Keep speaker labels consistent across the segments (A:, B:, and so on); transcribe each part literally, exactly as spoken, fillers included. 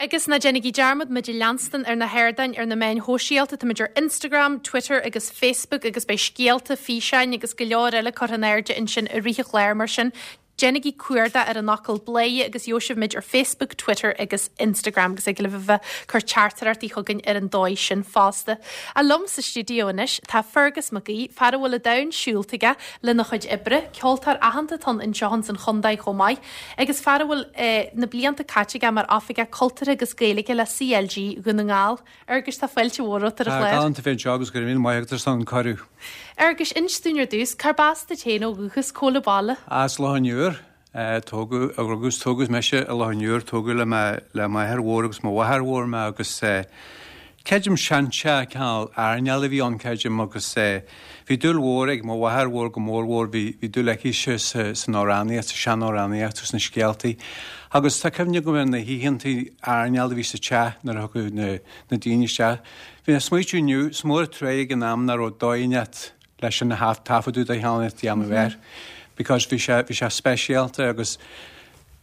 A: Agus ná déanaigí dearmad muid a leanstan ar na hardáin ar na meáin shóisialta táimid ar Instagram, Twitter agus Facebook agus beidh scéalta físeáin agus go leor eile curtha in airde ansin i rith an chláir mar sin. Déanaigí cuardach ar an fhocal Bladhaire agus gheobhaidh sibh muid ar Facebook, Twitter agus Instagram agus ag libh bheith cur teachtaireachtaí chugainn ar an dóigh sin fosta. A liom sa stiúideo anois tá Fergus Mac Aoidh, fear a bhfuil an domhan siúlta aige lena chuid oibre, ceoltóir aitheanta atá anseo san chontae chomh maith, agus fear a bhfuil eh, na blianta caite aige mar oifigeach cultúrtha agus Gaeilge le CLG Dhún na nGall. Fhearghuis tá fáilte mhór romhat ar an chlár.
B: Galánta bheith anseo agus go raibh míle maith agat ar an cuireadh.
A: Fhearghuis inis dúinn ar dtús, cárb as duit féin ó dhúchas cá bhfuil baile.
B: As Loch an Iúir tógadh agus tógadh mise i Loch an Iúir tógadh le le m'athair mhór agus mo mháthair mhór mé agus creidim seanteach cineál airneáil a bhí ann creidim agus bhí dúil mhór ag mo mháthair mhór go mór mhór bhí bhí dúil aici san amhránaíocht sa seanamhránaíocht agus na scéaltaí. Agus tá cuimhne agam ar na hoícheantaí airneáil a bhí sa teach nuair a thugadh na na daoine isteach. Bhí na smaoitiú inniu is mór tré ag an am nach raibh dóigh leis an taifeadadh de cheann déanamh air. because bhí sé bhí sé speisialta agus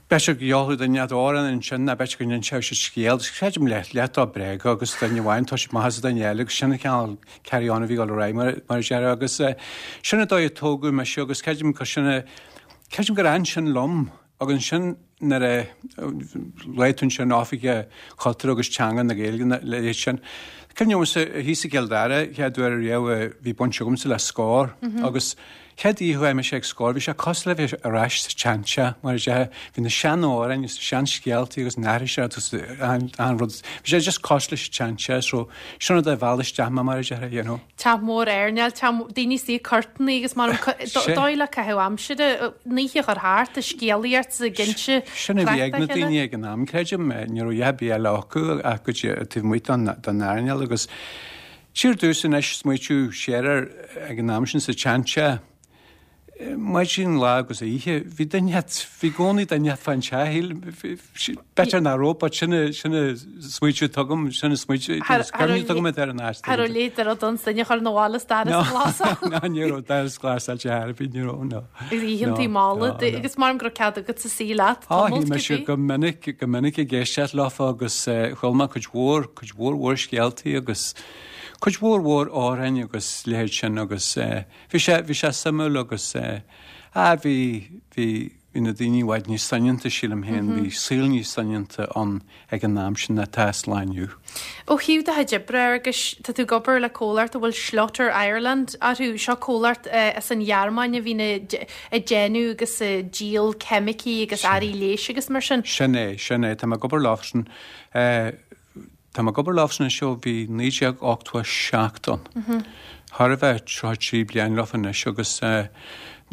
B: B'fhéidir go gheobhadh duine amhrán ansin ná b'fhéidir go n-inseodh siad scéal, creidim leath leath dá bréaga agus duine amháin tá siad maith as duine eile agus sin an cineál carry on a bhí ag dul ar aghaidh mar mar a déarfá agus sin an dóigh a tógadh mise agus creidim gur sin a creidim gur fhan sin liom agus ansin nuair a luaigh tú ansin oifigeach cultúr agus teanga na Gaeilge le sin. Cuimhním thíos i gCill Dara chéad uair riamh bhí baint agamsa le Scór agus chéad oíche chuaigh mise ag Scór bhí sé cosúil le bheith ar ais sa tseanteach mar a déarfá bhí na seanamhráin agus na seanscéaltaí agus na haithris agus an an rud bhí sé just cosúil leis an tseanteach so sin rud a mheall isteach mé mar a déarfá you know.
A: Teach mór airneáil daoine suí cortanna agus mar dóigh le caitheamh aimsire an oíche a chur thart a scéalaíocht sa gcinnte
B: Sin a bhí ag na daoine ag an am creidim ní raibh a dhath ar bith eile acu ach go dtí taobh amuigh den den airneál agus siar dtús anois smaoitiú siar ar ag an am sin sa tseanteach maidin lá agus oíche bhí duine bhí gcónaí duine fan teach b'fhéidir nach raibh but sin sin smaoitiú tugam sin smaoitiú tugam ar an áit.
A: Har léit ar don duine chur na bhála staras glas.
B: Ná ní raibh doras glasáilte ar bith ní raibh no.
A: Agus oícheantaí malla agus mar go raibh cead agat sa suí leat.
B: Á bhí mise go minic go minic ag éisteacht leofa agus chuala mé cuid mhór cuid mhór mhór scéaltaí agus cuid mhór mhór amhráin agus leithéid sin agus bhí sé bhí sé suimiúil agus á bhí bhí bhí na daoine i bhfad níos soineanta sílim féin bhí saol níos soineanta ann ag an am sin atá sa lá inniu.
A: Ó thaobh do chuid oibre agus tá tú ag obair le comhlacht a bhfuil Schlotter Ireland orthu seo comhlacht as an Ghearmáin a bhíonn ag déanamh agus ag díol ceimicí agus earraí leighis agus mar sin.
B: Sin é sin é tá mé ag obair leosan Tá mé ag obair leosan anois ó bhí naoi déag ochtó a seacht ann. Thar a bheith tríocha trí bliain leofa anois agus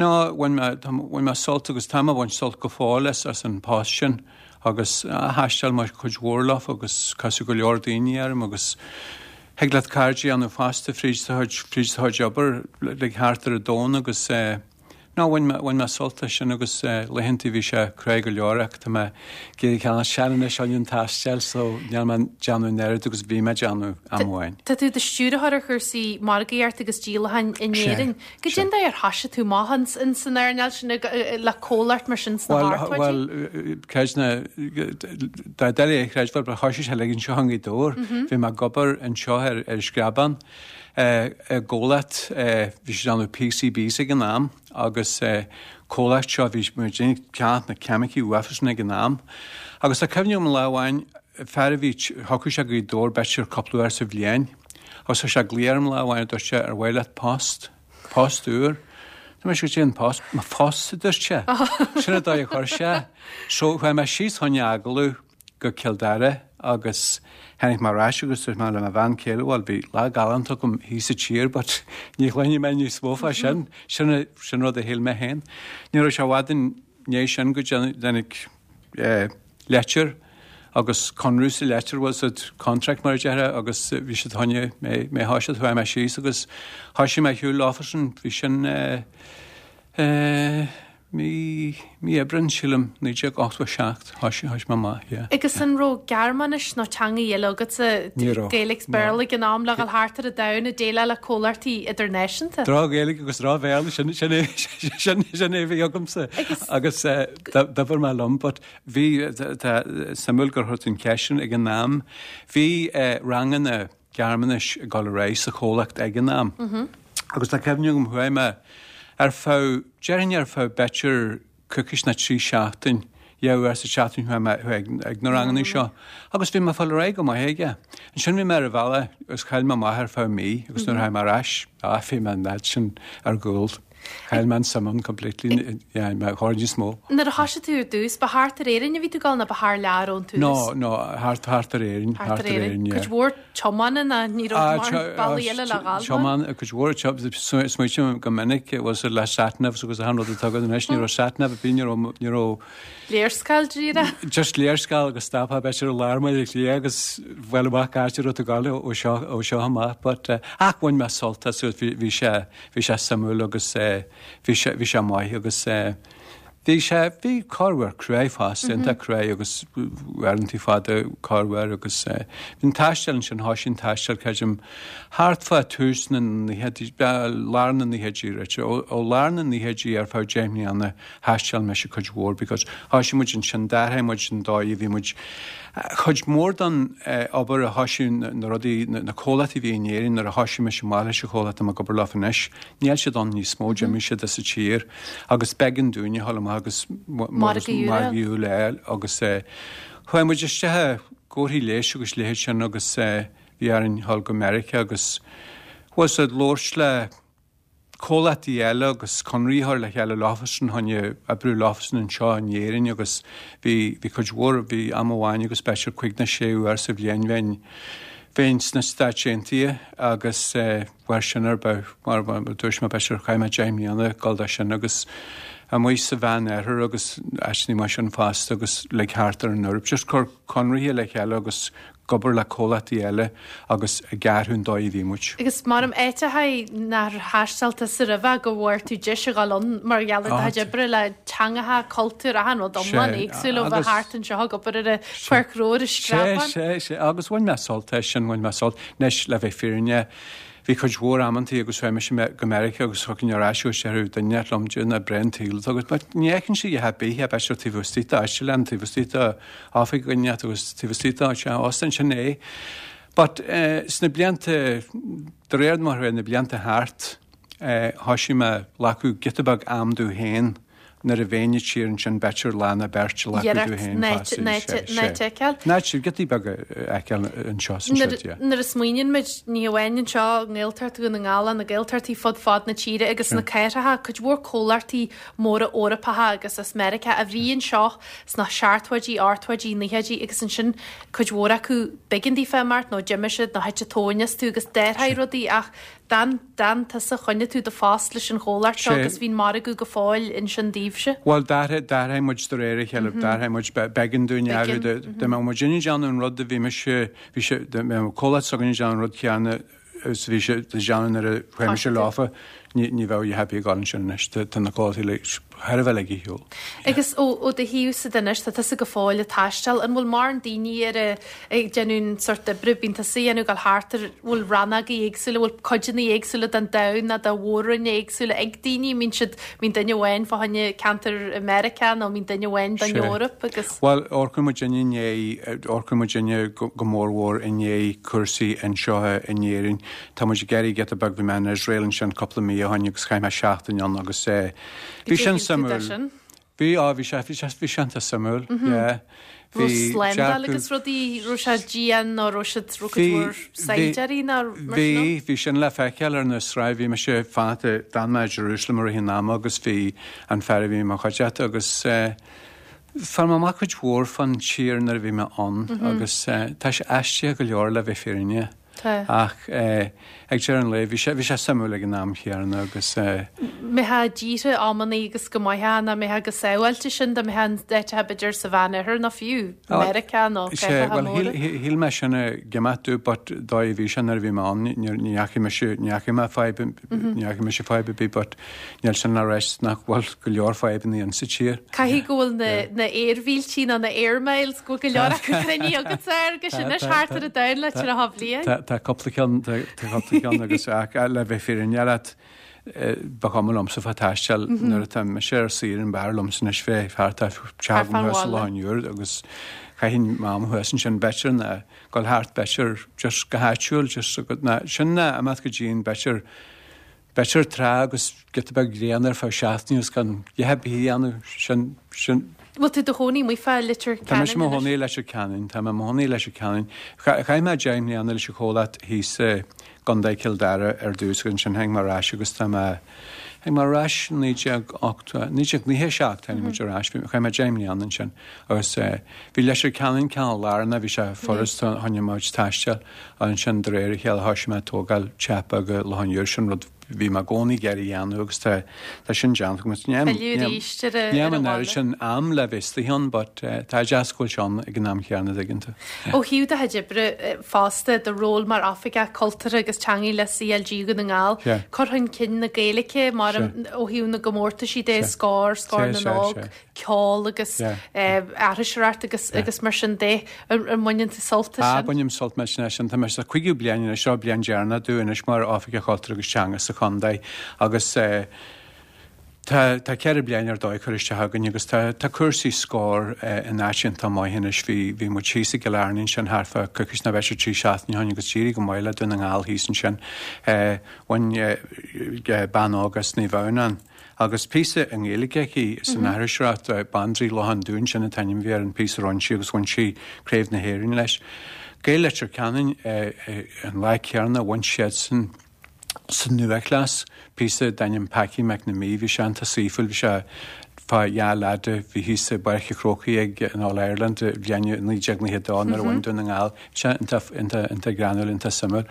B: ná bhain mé bhain mé sult agus tá mé ag baint sult go fóill as as an post sin agus thaistil mé cuid mhór leofa agus casadh go leor daoine orm agus thig leat cairde a dhéanamh fosta fríd do chuid fríd do chuid obair le thart ar an domhan agus ná bhain mé bhain mé sult as sin agus laethanta bhí sé crua go leor ach tá mé ag éirí cineál sean anois chun an taisteal so níl mé déanamh an oiread agus bhí mé déanamh am amháin.
A: Tá tú i do stiúrthóir ar chúrsaí margaíochta agus díolacháin in Éirinn. Goidé an dóigh ar thoisigh tú amach in san earnáil sin le comhlacht mar sin sna hochtóidí?
B: Bhuel creid nó dá doiligh é a chreidbheáil but thoisigh sé uilig anseo i nGaoth Dobhair. Bhí mé ag obair anseo ar ar Screabán i gcomhlacht bhí siad déanamh PCBs ag an am agus comhlacht seo bhí muid ag ceannach na ceimicí uafa sin ag an am. Agus tá cuimhne agam lá amháin fear a bhí thiocfadh sé go Gaoth Dobhair b'fhéidir cúpla uair sa bhliain agus tá sé ag glaoch orm lá amháin dúirt sé ar mhaith leat post post úr. Tá mé sé an post mo phost a dúirt sé. Sin an dóigh a chuir sé. So chuaigh mé síos chun agallamh go Cill Dara agus tháinig mé ar ais agus dúirt mé le mo bhean chéile bhuel bhí lá galánta agam thíos sa tír but ní chluinfidh mé níos mó fá sin sin sin rud a shíl mé féin. Ní raibh sé i bhfad i ndiaidh sin go dtáinig leitir agus conradh sa leitir was it contract mar a déarfá agus bhí siad chun mé mé thoiseacht chuaigh mé síos agus thoisigh mé shiúl leofa sin bhí sin eh, eh, mí mí Aibreán sílim naoi déag ochtó a seacht thoisigh thoisigh mé amach yeah.
A: Agus an raibh Gearmáinis nó teanga eile agatsa
B: Ní raibh.
A: Gaeilge 's Béarla ag an am le dhul thart ar an domhan ag déileáil le comhlachtaí idirnáisiúnta?
B: Droch-Ghaeilge agus droch-Bhéarla sin sin é sin sin é a bhí agamsa
A: Agus-
B: agus eh, d'oibir mé liom but bhí tá suimiúil gur chuir tú an cheist sin ag an am bhí eh, ranganna Gearmáinis ag dul ar aghaidh sa chomhlacht ag an am. Agus tá cuimhne agam chuaigh mé ar feadh déarfainn ar feadh b'fhéidir coicís nó trí seachtain dhá uair sa tseachtain chuaigh mé ag, ag na ranganna seo agus bhí mé ag fáil ar aghaidh go maith aige. Ansin bhí mé ar an bhealach agus chaill mé amach ar feadh mí agus nuair a tháinig mé ar ais ah, bhí mé an fhad sin ar gcúl. Chaill mé an suim ann completely yeah, mé chóir níos mó.
A: Nuair a thoisigh tú ar dtús, ba thart ar Éirinn a bhí tú ag dul nó ba thar lear ón tús?
B: No, no, thart thart ar Éirinn,
A: Thart ar Éirinn.
B: yeah.
A: Cuid mhór tiomána ná ní
B: Ah,
A: raibh
B: tio-
A: bealaí
B: ah,
A: eile le dhul.
B: Tiomáin cuid mhór smaoiním go minic was le satnavs agus achan rud atá agat anois ní raibh satnav bí ní raibh ní raibh
A: Léarscáil díreach.
B: just léarscáil agus stopfá b'fhéidir i lár Bhaile Átha Cliath agus bhuel amach áit a raibh tú ag dul ó seo ó seo amach, but uh, ach bhain mé sult as bhí bhí sé bhí sé suimiúil agus uh, bhí sé bhí sé maith agus uh, bhí sé bhí corruair cruaidh fosta iontach cruaidh agus uaireanta fada corruair agus uh, bhí an taisteal ansin thoisigh an taisteal creidim thart fá tús na naochaidí lár na naochaidí right ó ó lár na naochaidí ar feadh deich mbliana thaistil mise cuid mhór because thoisigh muid ansin d'athraigh muid an dóigh bhí muid chuid mór den eh, obair a thoisigh na na rudaí na na comhlachtaí a bhí in Éirinn nuair a thoisigh mise amach leis an chomhlacht atá mé ag obair leo anois níl siad ann níos mó d'imigh siad as an tír agus b'éigean dúinne a dhul amach agus
A: Margadh
B: margadh eile agus eh, chuaigh muid isteach i gcomharthaí leighis agus leithéid sin agus eh, bhí orainn dhul go Meiriceá agus was ag labhairt le comhlachtaí eile agus conarthaí a chur le chéile leofasan chun oibriú leofasan anseo in Éirinn agus bhí bhí cuid mhór bhí am amháin agus b'fhéidir cúig nó sé uair sa bhliain bheinn bheinn sna Stáit Aontaithe agus eh, mhair sin ar ba mar mar dúirt mé b'fhéidir chaith mé deich mbliana ag dul dó sin agus amuigh sa Mheánoirthear agus áiteanna mar sin fosta agus le thart ar an Eoraip just cur conarthaí le chéile agus obair le comhlachtaí eile agus ag athrú an dóigh a bhí muid.
A: Agus mar am éiteha nar thaistil tusa roimhe go bhfuair tú deis a dhul ann mar gheall ar
B: Ah,
A: do oibre le teangacha cultúr achan rud iomlán
B: Sé,
A: éagsúil ó bheith
B: agus-
A: thart anseo ag obair ar a pháirc i
B: Sé
A: screapán.
B: sé sé agus bhain mé sult as sin bhain mé sult anois le bheith fírinneach bhí cuid mhór amantaí agus chuaigh mise me- go Meiriceá agus chugainn ar ais agus deir duine liom nach breá an saol agus but ní fheiceann sé a bith a b'fhéidir taobh istigh d'áislean taobh istigh d'oifig dhuine agus taobh istigh d'áit óstan sin é. But uh, sna blianta de réir mar a bhí na blianta thart uh, thoisigh mé glacadh giota beag am dom féin nuair a bheinn i tír ansin b'fhéidir lá nó beirt a ghlacadh dom féin
A: Néitéil.
B: Ná giotaí beaga fheiceáil anseo san siúd, yeah.
A: Nuair a smaoiníonn muid ní amháin anseo nGaeltacht Dhún na nGall na Gaeltachtaí fud fad na tíre agus na cathracha cuid mhór comhlachtaí móra Eorpacha agus as Meiriceá a bhí anseo sna seachtóidí ochtóidí naochaidí agus ansin cuid mhór acu b'éigean daofa imeacht nó d'imigh siad nó thit tóin astu agus d'athraigh rudaí ach d'fhan d'fhan tusa choinnigh tú do phost leis an chomhlacht seo
B: Sé.
A: agus bhí'n margadh go fóill ansin daoibhse.
B: Well d'athraigh d'athraigh muid de réir a chéile d'athraigh muid b'éigean dúinn
A: B'éigean,
B: de mbeadh muid ag déanamh an rud a bhí mise bhí sé de mbeadh comhlacht s'againn ag déanamh an rud céanna is bhí sé ag déanamh nuair a chuaigh mise leofa ní ní bheadh happy ag dul ansin anois tá na comhlachtaí le thar a bheith ag shiúl.
A: Agus ó ó do thaobhsa de anois tá tusa go fóill ag taisteal an bhfuil mar an daoine ar a ag déanamh sort oibre bíonn tusa ag déanamh gabháil thart ar bhfuil rannógaí éagsúla bhfuil codanna éagsúla den domhan nó de mhór-roinn éagsúla ag daoine mbíonn siad mbíonn duine amháin fá choinne ceantar i Meiriceá nó mbíonn duine amháin don
B: Sé.
A: Eoraip agus
B: Well amharcann muid i ndiaidh amharcann muid go go mórmhór i ndiaidh cúrsaí anseo in Éirinn. Tá muid ag iarraidh giota beag bhí mé in Israel ansin cúpla mí ó shin agus chaith mé seachtain ann agus eh, bhí sin suimiúil.
A: sin.
B: Bhí á bhí sé bhí sé bhí sé suimiúil. yeah.
A: Bhí slándáil
B: dearcadh-
A: agus rudaí raibh sé dian nó raibh siad raibh
B: Bhí-
A: mhór saighdiúirí nó mar sin
B: Bhí bhí sin le feiceáil ar na sráideanna bhí mise fanacht d'fhan mé Jerusalem ar an am agus bhí an fear a bhí mo chuideachta agus eh, Fuair mé amach cuid mhór fán tír nuair a bhí mé ann agus eh, tá sé aisteach go leor le bheith fírinneach.
A: Tá.
B: Ach ag deireadh an lae, bhí sé, bhí sé suimiúil ag an am chéanna agus.
A: mbeifeá i dtíortha amannaí agus go maithfeá ná mbeifeá go sábháilte sin dá mbeifeá in áiteacha b'fhéidir sa Mheánoirthear nó fiú Meiriceá nó
B: Sé,
A: cathracha
B: bhuel,
A: móra.
B: shíl, shíl mé sin go maith dú, but dóigh a bhí sé nuair a bhí mé ann, ní, ní dheachaigh mise, ní dheachaigh mé fadhb, ní dheachaigh mise fadhb ar bith, but níl sin le rá nach bhfuil go leor fadhbanna insa tír.
A: Caithfidh go bhfuil na, na aermhíltí nó na air miles go bhfuil go leor acu cruinnithe agat agus anois thart ar an domhan le tríocha bliain.
B: Tá tá cúpla ceann tá tá cúpla ceann agus ach le bheith fírinneach leat ba chuma liomsa fá taisteal nuair atá mise ar saoire an b'fhearr liomsa anois bheith thart ar
A: Thart fán
B: thuas
A: bhaile.
B: lá an uair agus chaithfinn m'am thuas ansin b'fhéidir ná gul thart b'fhéidir just go háitiúil just go ná sin ná amach go dtí b'fhéidir b'fhéidir trá agus giota beag gréine ar feadh seachtaine agus gan a dhath a dhéanamh sin sin
A: Bhfuil tú do chónaí amuigh fá Leitir
B: Tá mise
A: Ceanainn
B: mo
A: anois?
B: chónaí Leitir Ceanainn, Tá mé mo chónaí Leitir Ceanainn. Chaith mé deich mbliana leis an chomhlacht thíos i gContae Chill Dara ar dtús agus ansin tháinig mé ar ais agus tá mé tháinig mé ar ais naoi déag ocht naoi déag nócha seacht tháinig muid ar ais, chaith mé deich mbliana ansin agus eh, bhí Leitir Ceanainn ceann lárnach, bhí sé furast choinne muid taisteal ansin de réir a chéile thosaigh mé ag tógáil teach beag i Loch an Iúir sin rud bhí mé i gcónaí ag iarraidh a dhéanamh agus tá tá sin déanta agam. Ní
A: Filleadh arís ar a-
B: Ní
A: ar
B: an
A: an
B: oiread
A: bhaile.
B: sin am le bheith istigh ann, but eh, tá deas go bhfuil sé ann ag an am chéanna dtuigeann tú.
A: Ó thaobh do chuid oibre eh, fosta do ról mar oifigeach cultúrtha agus teanga le CLG Dhún na nGall,
B: Yeah.
A: cur chun cinn na Gaeilge mar ó thaobh na gcomórtaisí de Scór, Scór
B: Sé,
A: na
B: sé,
A: nÓg,
B: sé.
A: ceol agus
B: Yeah.
A: eh, aithriseoireacht agus agus mar sin de an an mbaineann tú sult as
B: Ah,
A: sin.
B: bainim sult mar sin sin tá mé sa cúigiú bliain anois seo bliain dheireanach domh anois mar oifigeach cultúrtha agus teanga sa chontae agus eh, Tá tá ceithre bliana ar dóigh chur isteach againn agus tá tá cúrsaí Scór eh, in áit iontach maith anois bhí bhí muid thíos i gCill Airne sin thart fá coicís nó b'fhéidir trí seachtaine ó shin agus d'éirigh go maith le Dún na nGall thíos ansin eh, bhain eh, eh, bean óg as Naomh Adhamhnáin agus píosa i nGaeilge aici san aithriseoireacht eh, Bandraoi Loch an Dúin sin an t-ainm a bhí ar an píosa a rinne sí agus bhain sí Craobh na hÉireann leis. Gaeil Leitir Ceanainn eh, eh, an lá céanna bhain siad san san Nua-Chleas píosa d'ainm Packy McNamee bhí sé iontach saoithiúil bhí sé fá dhá leath bhí thíos i bPáirc an Chrócaigh ag an All Ireland bhliain naoi déag nócha dó nuair a bhain Dún na nGall sé iontach greannúil iontach suimiúil.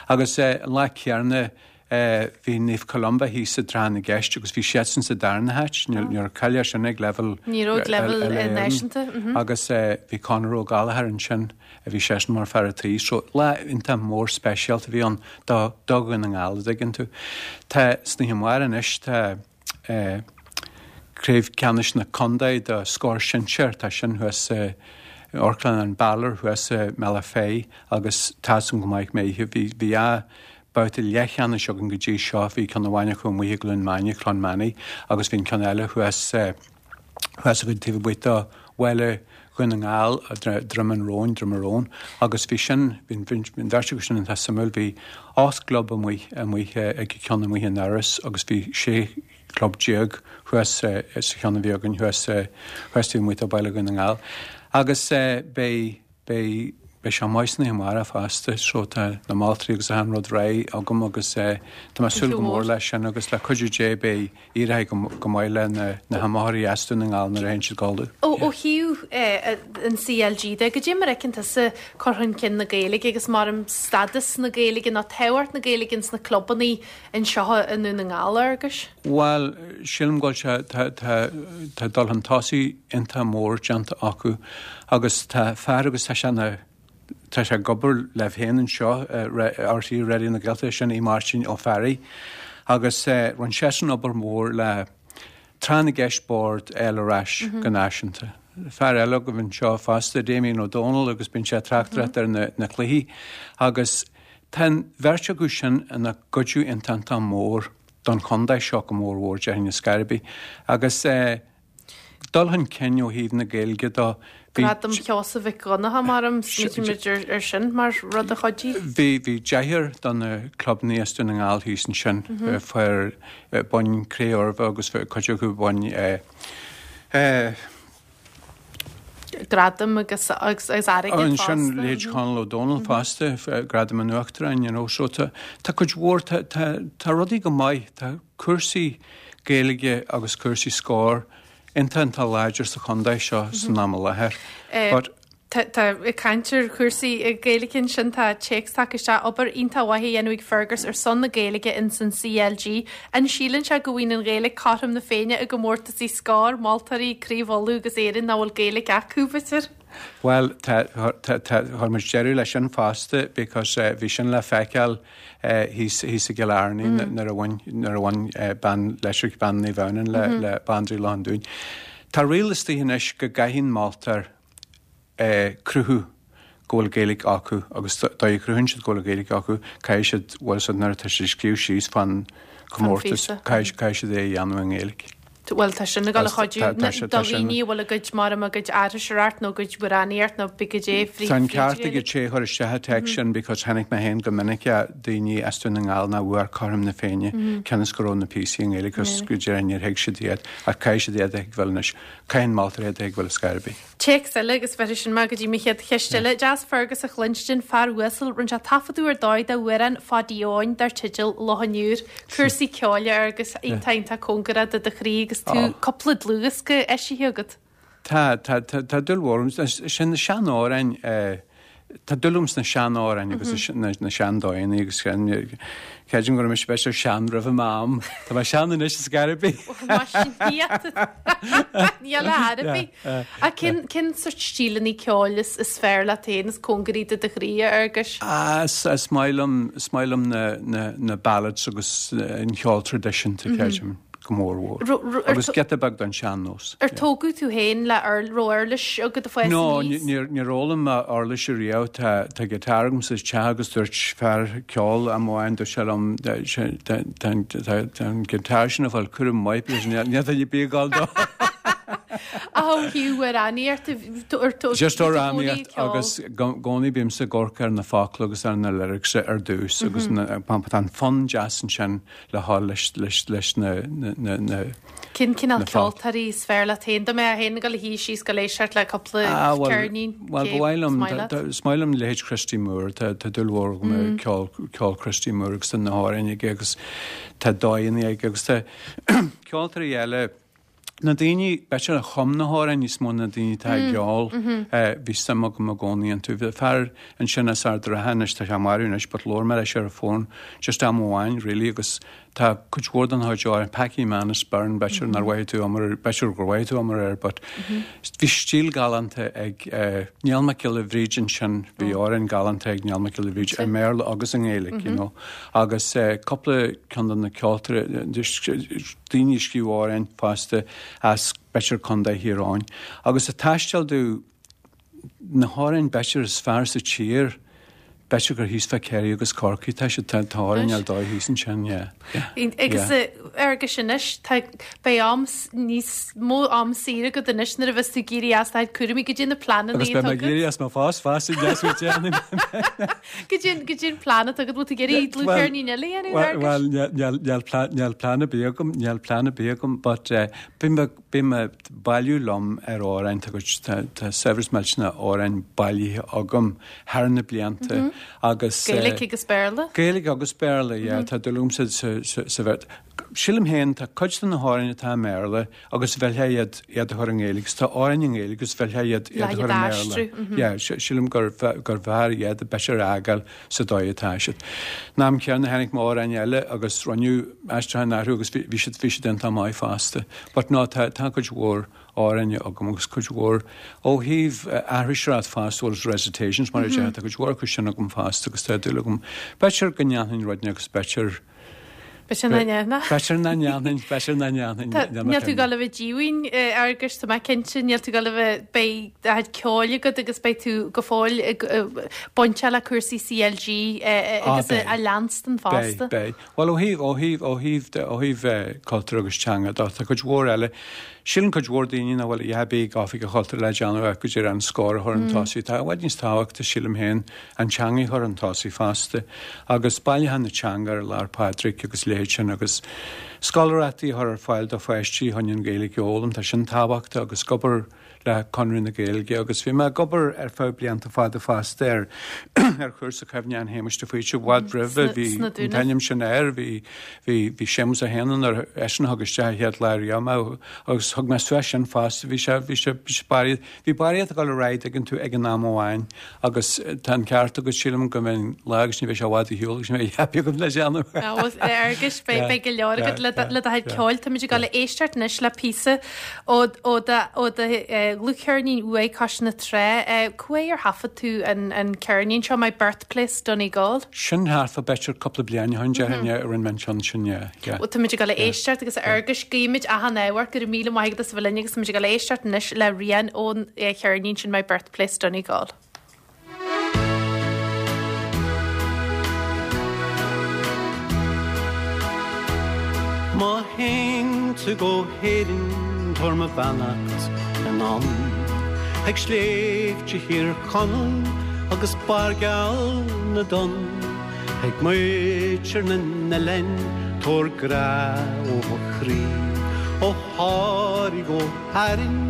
B: Agus eh, an lá céanna eh, bhí Naomh Columba thíos i dTráth na gCeist agus bhí siadsan sa darna háit níor cailleadh sin ag level
A: Ní raibh ag level, eh, náisiúnta, mhm.
B: agus eh, bhí Conor Ó Gallchóir ansin a bhí seisean mar fear an tí, so lá iontach mór speisialta a bhí ann do do Dhún na nGall dtuigeann tú. Tá sna hamháin anois tá eh, Craobh Ceannais na Contae do Scór Sinsear tá sin thuas eh, Amharclann an Balor thuas i mBealach Féich agus tá san go maith méithe bhí bhí a babhta leathcheannais againn go dtí seo bhí ceann amháin acu amuigh i gCluain Maine Clonmany agus bhí an ceann eile thuas eh, thuas go taobh amuigh de bhaile Dhún na nGall Droim an Róin Drummaroon agus bhí sin bhí an bheirt acu sin iontach suimiúil bhí ocht gclub amuigh amuigh ag ceann amuigh in Iorras agus bhí sé chlub déag thuas eh, sa cheann a bhí againn thuas eh, thuas taobh amuigh de bhaile Dhún na nGall. Agus eh, beidh beidh beidh sé maith sna hamárach fosta so tá na moltaí agus an rud réidh agam agus eh, tá mé súil go mór leis sin agus le cuidiú Dé beidh éirithe go go maith le na na hiomaitheoirí as Dún na nGall nuair a théann siad codladh.
A: Ó ó thaobh eh, an CLG de, goidé mar a fheiceann tusa cur chun cinn na Gaeilge agus mar an stádas na Gaeilge nó tábhacht na Gaeilge ins na clubanna anseo i nDún na nGall agus?
B: Well, sílim go bhfuil sé tá tá tá dul chun tosaigh iontach mór déanta acu agus tá fear agus tá sé na tá sé ag obair le féin anseo RTÉ Raidió na Gaeltachta sin í Máirtín Ó Fearraigh agus eh, rinne seisean obair mór le Tráth na gCeist boird eile ar ais go náisiúnta. Fear eile go anseo fosta Damien O'Donnell agus bíonn sé tráchtaireacht ar na, na cluichí agus tá an bheirt acu sin ina gcuidiú iontach mór don chontae seo go mór mhór déarfainn ar scor ar bith agus eh, dul chun cinn ó thaobh na Gaeilge do bhí
A: Gradam Sheosaimh Mhic Dhonncha mar am smaoinímid ar ar sin mar rud a chuidigh.
B: Bhí bhí deichniúr do na clubanna as Dún na nGall thíos ansin mm fuair bhain Cré-Umha agus cuid acu bhain eh, eh,
A: Gradam agus agus agus airgead
B: Ansin
A: fosta.
B: leithéid Conal O'Donnell fosta f- gradam an Uachtaráin you know, so tá tá cuid mhór tá tá tá rudaí go maith tá cúrsaí Gaeilge agus cúrsaí Scór iontach iontach láidir sa chontae seo san am i láthair.
A: Eh,
B: But
A: Tá ag caint ar chúrsaí Gaeilge ansin tá téacs tagtha isteach obair iontach mhaith á dhéanamh ag Fergus ar son na Gaeilge in san CLG. An síleann sé go bhfuil an Ghaeilge cothrom na Féinne i gcomórtasaí Scór, Moltóirí, Craobh Uladh agus Éireann nach bhfuil Gaeilge acu b'fhéidir?
B: Well chuir muid deireadh leis sin fosta because uh, bhí sin le feiceáil uh, thíos i gCill Airne mm. nuair a bhain nuair a bhain uh, bean leis bean ní bhaineann le, mm -hmm. le Bandraoi Loch an Dúin. Tá riail istigh anois go gcaithfidh moltóir eh, cruthú go bhfuil Gaeilge acu agus dá chruthaíonn siad go bhfuil Gaeilge acu caithfidh siad bhfuil siad nuair atá siad scríobh síos fan comórtas caithfidh siad é a dhéanamh i nGaeilge.
A: Well tá sin ag chuidiú do dhaoine bhfuil a gcuid mar a gcuid aithriseoireacht nó gcuid amhránaíocht nó bí go dé frí.
B: Tá an ceart ag té chuir isteach an téacs sin because chonaic mé féin go minic daoine as Dún na nGall nach bhfuair cothrom na Féinne cionn is go raibh na píosaí i nGaeilge agus go deireadh níor thuig siad iad ach caithfidh siad iad a thuigbheáil anois caithfidh moltóir iad a thuigbheáil ar scor ar bith.
A: Téacs eile agus bheith sin mar go dtí mo chéad cheist eile. Deas Fergus a chluinstin fear uasal rinne sé taifeadadh ar dóigh d'amhrán Pháidí Eoin dar teideal Loch an Iúir, cúrsaí ceoil agus iontach iontach cóngarach do do chroí agus tú cúpla dlúthdhiosca eisithe agat.
B: Tá tá tá dúil mhór sin na seanamhráin Tá dúil agam sna seanamhráin agus na na seandóigheanna agus creidim go raibh mise b'fhéidir sean roimh m'am. Tá mé sean anois is gar bith.
A: Níl a arbí. A cén cén sort stíleanna ceoil is is fearr leat féin is cóngaraí do do chroí a Fhearghuis?
B: Ah, is is maith liom is maith liom na na na ballads agus an ceol traidisiúnta creidim. go mór mhór. Agus giota beag den sean-nós.
A: Ar tógadh tú féin le raibh uirlis agat ag fás
B: No, níor níor fhoghlaim mé uirlis riamh tá tá giotár agam sa teach agus dúirt fear ceoil amháin dúirt sé liom tá an giotár sin ag fáil cúram maith because níl níl duine ar bith ag gabháil dó.
A: Ach ó thaobh amhránaíocht ar tó
B: Just amhránaíocht agus i gcónaí bímse ag amharc ar na focla agus ar na lyrics ar dtús agus tá an fonn deas ansin le haghaidh leis leis leis na na na
A: Cén cineál ceoltóirí is fearr leat féin? Dá mbeifeá féin ag dul a shuí síos go éisteacht le cúpla
B: Ah, well,
A: ceirnín
B: well, ba mhaith liom is maith liom leithéid Christy Moore tá tá dúil mhór agam i ceol ceol Christy Moore agus tá na hamhráin aige agus tá dóigheanna aige agus tá ceoltóirí eile Na daoine, b'fhéidir a chum na hamhráin níos mó ná na daoine atá ag ceol, bhí suim agam i gcónaí iontu. Bhí fear ansin as Ard an Rátha anois, tá sé marbh anois, but labhair mé leis ar an bhfón just am amháin really agus tá cuid mhór den chuid amhrán, Packie Manus Byrne, b'fhéidir nár mhaith tú iomar, b'fhéidir gur mhaith tú iomar air, but bhí stíl galánta ag Niall Mac Giolla Bhríde ansin, bhí amhráin galánta ag Niall Mac Giolla Bhríde i mBéarla agus i nGaeilge, you know. Agus cúpla ceann de na ceoltóirí, daoine a scríobh amhráin fosta as b'fhéidir Contae Thír Eoghain. Agus ag taisteal domh na hamhráin b'fhéidir is fearr sa tír, b'fhéidir gur thíos fá Kerry agus Corcaigh tá siad tá amhráin ar dóigh thíos ansin, yeah.
A: Yeah. Agus Fhearghuis anois tá beidh am níos mó am saor agat anois nuair a bheas tú ag éirí as do chuid cúraimí goidé na pleananna
B: Agus beidh mé ag éirí as mo phost fosta deas go déanaí.
A: Goidé goidé an plean atá agat bhfuil tú ag iarraidh dlúthcheirnín eile a dhéanamh
B: Well níl plean níl plean ar bith agam níl plean ar bith agam but bím bím ag bailiú liom ar amhráin tá cuid tá saibhreas millteanach amhráin bailithe agam thar na blianta agus
A: Gaeilge agus Béarla?
B: Gaeilge agus Béarla yeah tá dúil agam sa sa sa bheirt. Sílim féin tá cuid de na hamhráin atá i mBéarla agus bhfeilfeá iad iad a chur i nGaeilge agus tá amhráin i nGaeilge agus bhfeilfeá iad iad a chur i mBéarla. Yeah sílim gur gur bhfearr iad b'fhéidir a fhágáil sa dóigh atá siad. In am céanna tháinig m'amhráin eile agus rinneadh aistriúchán orthu agus bhí siad bhí siad iontach maith fosta. But no tá tá cuid mhór amhráin agam agus cuid mhór ó thaobh aithriseoireacht fosta bhfuil recitations mar a deir tá cuid mhór acu sin agam fosta agus tá dúil agam. B'fhéidir go ndéanfainn rud agus b'fhéidir
A: B'fhéidir nach ndéanfainn.
B: B'fhéidir nach ndéanfainn, b'fhéidir nach ndéanfainn.
A: Níl tú ag dul a bheith díomhaoin a Fhearghuis, tá mé cinnte, níl tú ag dul a bheith, beidh do chuid ceoil agat agus beidh tú go fóill ag bainteach le cúrsaí CLG agus a leanstan fosta.
B: Beidh, beidh. Bhuel ó thaobh, ó thaobh, ó thaobh, ó thaobh cultúr agus teanga de, tá cuid mhór eile. Síleann cuid mhór daoine nach bhfuil a dhath ar bith ag Oifig an Chultúir le déanamh ach go díreach an Scór a chur chun tosaigh. Tá i bhfad níos tábhachtaí, sílim féin, an teanga a chur chun tosaigh fosta agus bailiúchán na teanga ar Lá 'le Pádraig agus leithéid sin agus scoláireachtaí a chur ar fáil do pháistí chun an Ghaeilge a fhoghlaim. Tá sin tábhachtach agus ag obair le Conradh na Gaeilge agus bhí mé ag obair ar feadh blianta fada fosta ar ar chúrsa cuimhneacháin Shéamuis de Faoite i bhfad roimhe bhí an t-ainm sin air bhí bhí bhí Séamus a hAon ar eisean a thug isteach an chéad lá riamh mé agus thug mé suas sin fosta bhí sé bhí sé bhí sé barraíocht bhí barraíocht ag dul ar aghaidh tuigeann tú ag an am amháin agus tá an ceart agat sílim go mbeidh lá agus ní bheidh sé i bhfad ar shiúl agus ní bheidh happy agam le déanamh.
A: Agus beidh beidh go leor agat le le do chuid ceoil Táimid ag dul a éisteacht anois le píosa ó ó do ó do dhlúthcheirnín uaidh Cois na Trá. Cá huair ar thaifead tú an an ceirnín seo My Birthplace Donegal?
B: Sin thart fá b'fhéidir cúpla bliain ó shin déarfainn a rinne mé an ceann sin yeah yeah.
A: Bhuel táimid ag dul a éisteacht agus a Fhearghuis guímid achan ádh ort go raibh míle maith agat as a bheith linn agus táimid ag dul a éisteacht anois le rian ón cheirnín sin My Birthplace Donegal.
C: Má théann tú go hÉirinn tabhair mo bheannacht anonn Ag sléibhte Thír Chonaill agus barr geal na dtonn Ag muintir na n-oileán tabhair grá ó mo chroí Ó Thoraigh go hÁrainn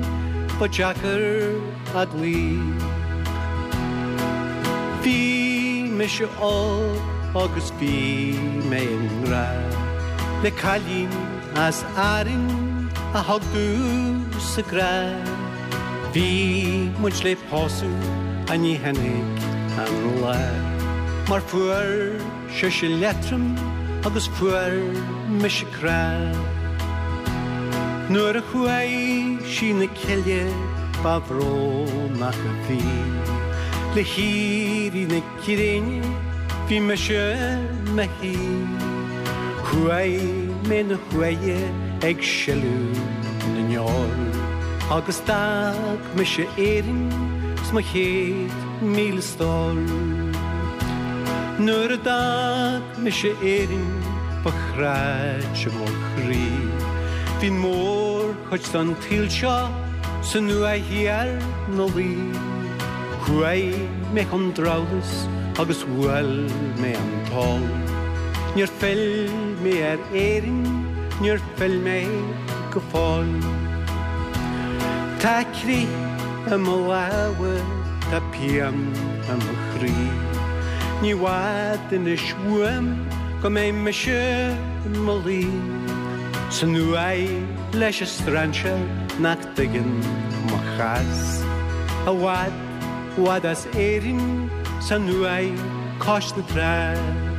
C: ba deacair a gcloí. Bhí mise óg agus bhí mé i ngrá le cailín as Árainn a thug domhsa grá. Bhí muid le pósadh ach ní tháinig an lá mar fuair sise liatroim agus fuair mise crá. Nuair a chuaigh sí 'na cille ba bhrónach a bhí Le héirí na gréine bhí mise 'mo shuí Chuaigh mé 'na huaighe ag sileadh na ndeor Agus d'fhág mise Éirinn 's mo chéad míle stór Nuair a d'fhág mise Éirinn ba chráite mo chroí Bhí an mhórchuid den tsaol seo san uaigh thiar 'na luí. Chuaigh mé chun drabhláis agus bhuail mé an t-ól. Níor phill mé ar Éirinn, níor phill mé go fóill. Tá crith i mo lámha, tá pian i mo chroí. Ní i bhfad anois uaim go mbeidh mise i mo luí. San uaigh leis an strainséir nach dtuigeann mo chás. I bhfad, bhfad as Éirinn san uaigh cois na trá.